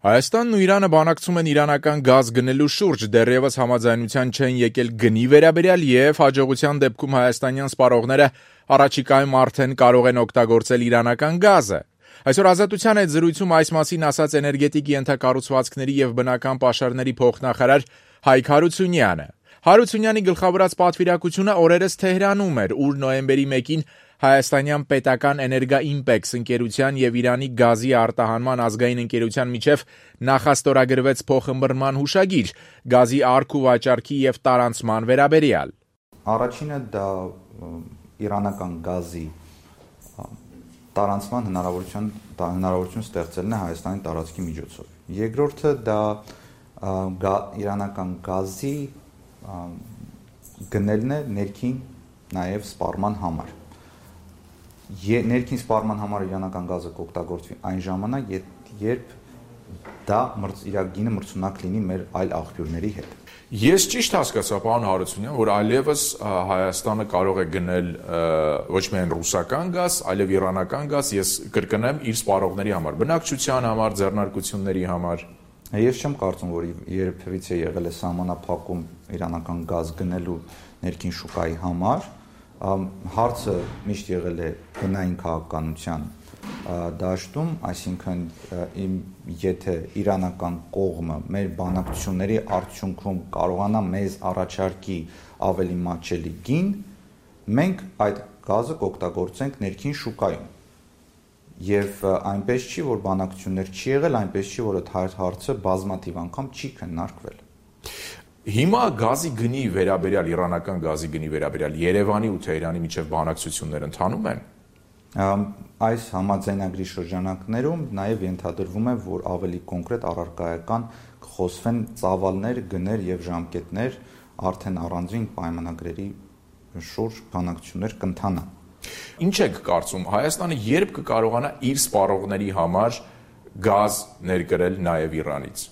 Հայաստանն ու Իրանը բանակցում են իրանական գազ գնելու շուրջ, դեռևս համաձայնության չեն եկել գնի վերաբերյալ եւ հաջողության դեպքում հայաստանյան սպառողները առաջիկայում արդեն կարող են օգտագործել իրանական գազը։ Այսօր Ազատության հետ զրույցում այս մասին ասաց էներգետիկ ենթակառուցվածքների եւ բնական պաշարների փոխնախարար Հայկ Հարությունյանը։ Հարությունյանի գլխավորած պատվիրակությունը օրերս Թեհրանում էր, ուր նոյեմբերի 1-ին Հայաստանյան պետական Էներգաիմպեքս ընկերության եւ Իրանի գազի արտահանման ազգային ընկերության միջև նախաստորագրվեց փոխըմբռնման հուշագիր գազի առք ու վաճառքի եւ տարանցման վերաբերյալ։ Առաջինը դա իրանական գազի տարանցման հնարավորություն ստեղծելն է Հայաստանի տարածքի միջոցով։ Երկրորդը դա իրանական գազի գնելն է ներքին նաեւ սպառման համար։ Ներքին սպառման համար իրանական գազը կօգտագործվի այն ժամանակ, երբ դա իր գինը մրցունակ լինի մեր այլ աղբյուրների հետ։ Ես ճիշտ հասկացա, պարոն Հարությունյան, որ այլևս Հայաստանը կարող է գնել ոչ միայն ռուսական գազ, այլև իրանական գազ, ես կրկնեմ, իր սպառողների համար, բնակչության համար, ձեռնարկությունների համար։ Ես չեմ կարծում, որ երբևիցե եղել է սահմանափակում իրանական գազ գնելու ներքին շուկայի համար։ Հարցը միշտ եղել է գնային քաղաքականության դաշտում, այսինքն եթե իրանական կողմը մեր բանակցությունների արդյունքում կարողանա մեզ առաջարկի ավելի մատչելի գին, մենք այդ գազը կօգտագործենք ներքին շուկայում։ Եվ այնպես չի, որ բանակցություններ չի եղել, այնպես չի, որ այդ հարցը բազմաթիվ անգամ չի քննարկվել։ Հիմա գազի գնի վերաբերյալ, իրանական գազի գնի վերաբերյալ Երևանի ու Թեհրանի միջև բանակցություններ ընթանում են։ Այս համաձայնագրի շրջանակներում նաև ենթադրվում է, որ ավելի կոնկրետ առարկայական կխոսվեն ծավալներ, գներ եւ ժամկետներ, արդեն առանձին պայմանագրերի շուրջ բանակցություններ կընթանան։ Ինչ եք կարծում, Հայաստանը երբ կկարողանա իր սպառողների համար գազ ներկրել նաև Իրանից։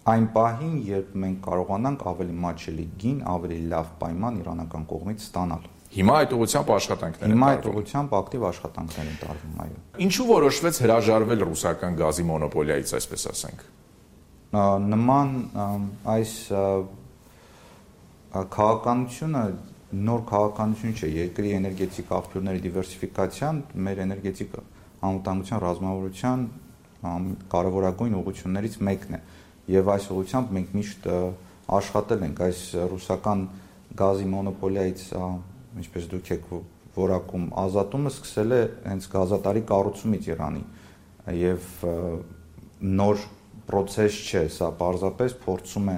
Այն պահին, երբ մենք կարողանանք ավելի մատչելի գին, ավելի լավ պայման իրանական կողմից ստանալ։ Հիմա այդ ուղղությամբ աշխատանքներ են տարվում։ Հիմա այդ ուղղությամբ ակտիվ աշխատանքներ են տարվում, այո։ Ինչու որոշվեց հրաժարվել ռուսական գազի մոնոպոլիայից, այսպես ասենք։ Նման այս քաղաքականությունը նոր քաղաքականություն չէ, երկրի էներգետիկ աղբյուրների դիվերսիֆիկացիան մեր էներգետիկ անվտանգության ռազմավարության կարևորագույն ուղղություններից մեկն է, եւ այս ուղղությամբ մենք միշտ աշխատել ենք այս ռուսական գազի մոնոպոլիայից, ինչպես դուք եք որակում, ազատումը սկսել է հենց գազատարի կառուցումից Իրանի եւ նոր process չէ, սա պարզապես փորձում է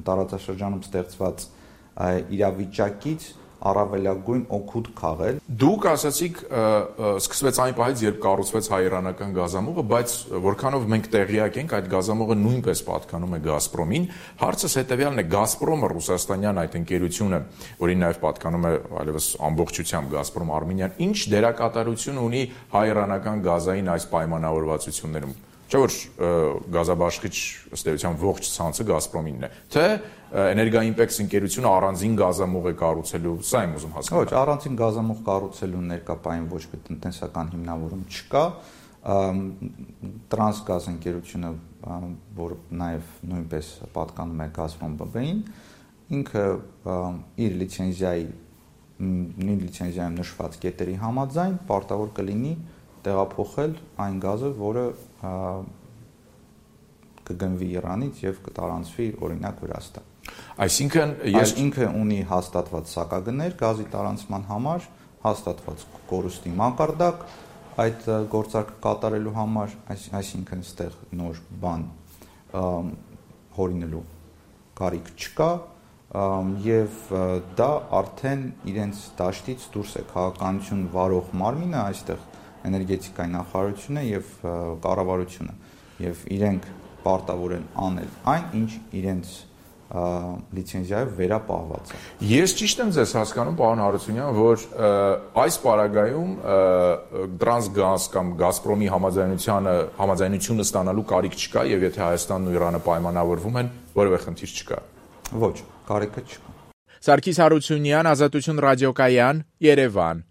տարածաշրջանում ստեղծված իրավիճակից առավելագույն օգուտ քաղել։ Դուք ասացիք, սկսվեց այն պահից, երբ կառուցվեց հայ-իրանական գազամուղը, բայց որքանով մենք տեղյակ ենք, այդ գազամուղը նույնպես պատկանում է Գազպրոմին։ Հարցս հետեւյալն է, Գազպրոմը, ռուսաստանյան այդ ընկերությունը, որին նաև պատկանում է այլևս ամբողջությամբ Գազպրոմ Արմենիան, ինչ դերակատարություն ունի հայ-իրանական գազային այս պայմանավորվածություններում։ Չէ՞ որ գազաբաշխիչ ըստ էության ողջ ցանցը Գազպրոմինն է, թե Էներգաիմպեքս ընկերությունը առանձին գազամուղ է կառուցելու, սա եմ ուզում հասկանալ։ Ոչ, առանձին գազամուղ կառուցելու ներկայային ոչ մի տնտեսական հիմնավորում չկա։ Տրանսգազ ընկերությունը, որ նաև նույնպես պատկանում է Գազպրոմ ԲԲ-ին, ինքը իր լիցենզիայում նշված կետերի համաձայն պարտավոր կլինի տեղափոխել այն գազը, որը կգնվի Իրանից եւ կտարանցվի օրինակ Վրաստան։ Այսինքն ինքը ունի հաստատված սակագներ գազի տարանցման համար, հաստատված կորուստի մակարդակ այդ գործարքը կատարելու համար, այսինքն այստեղ նոր բան հորինելու կարիք չկա եւ դա արդեն իրենց դաշտից դուրս է քաղաքականություն վարող մարմինը, այստեղ էներգետիկայի նախարարությունը եւ կառավարությունը եւ իրենք պարտավոր են անել այն, ինչ իրենց լիցենզիայով վերապահված է։ Ես ճիշտ եմ ձեզ հասկանում, պարոն Հարությունյան, որ այս պարագայում Տրանսգազ կամ Գազպրոմի համաձայնությունը ստանալու կարիք չկա եւ եթե Հայաստանն ու Իրանը պայմանավորվում են, որևէ խնդիր չկա։ Ոչ, կարիքը չկա։ Սարգիս Հարությունյան, Ազատություն ռադիոկայան, Երևան։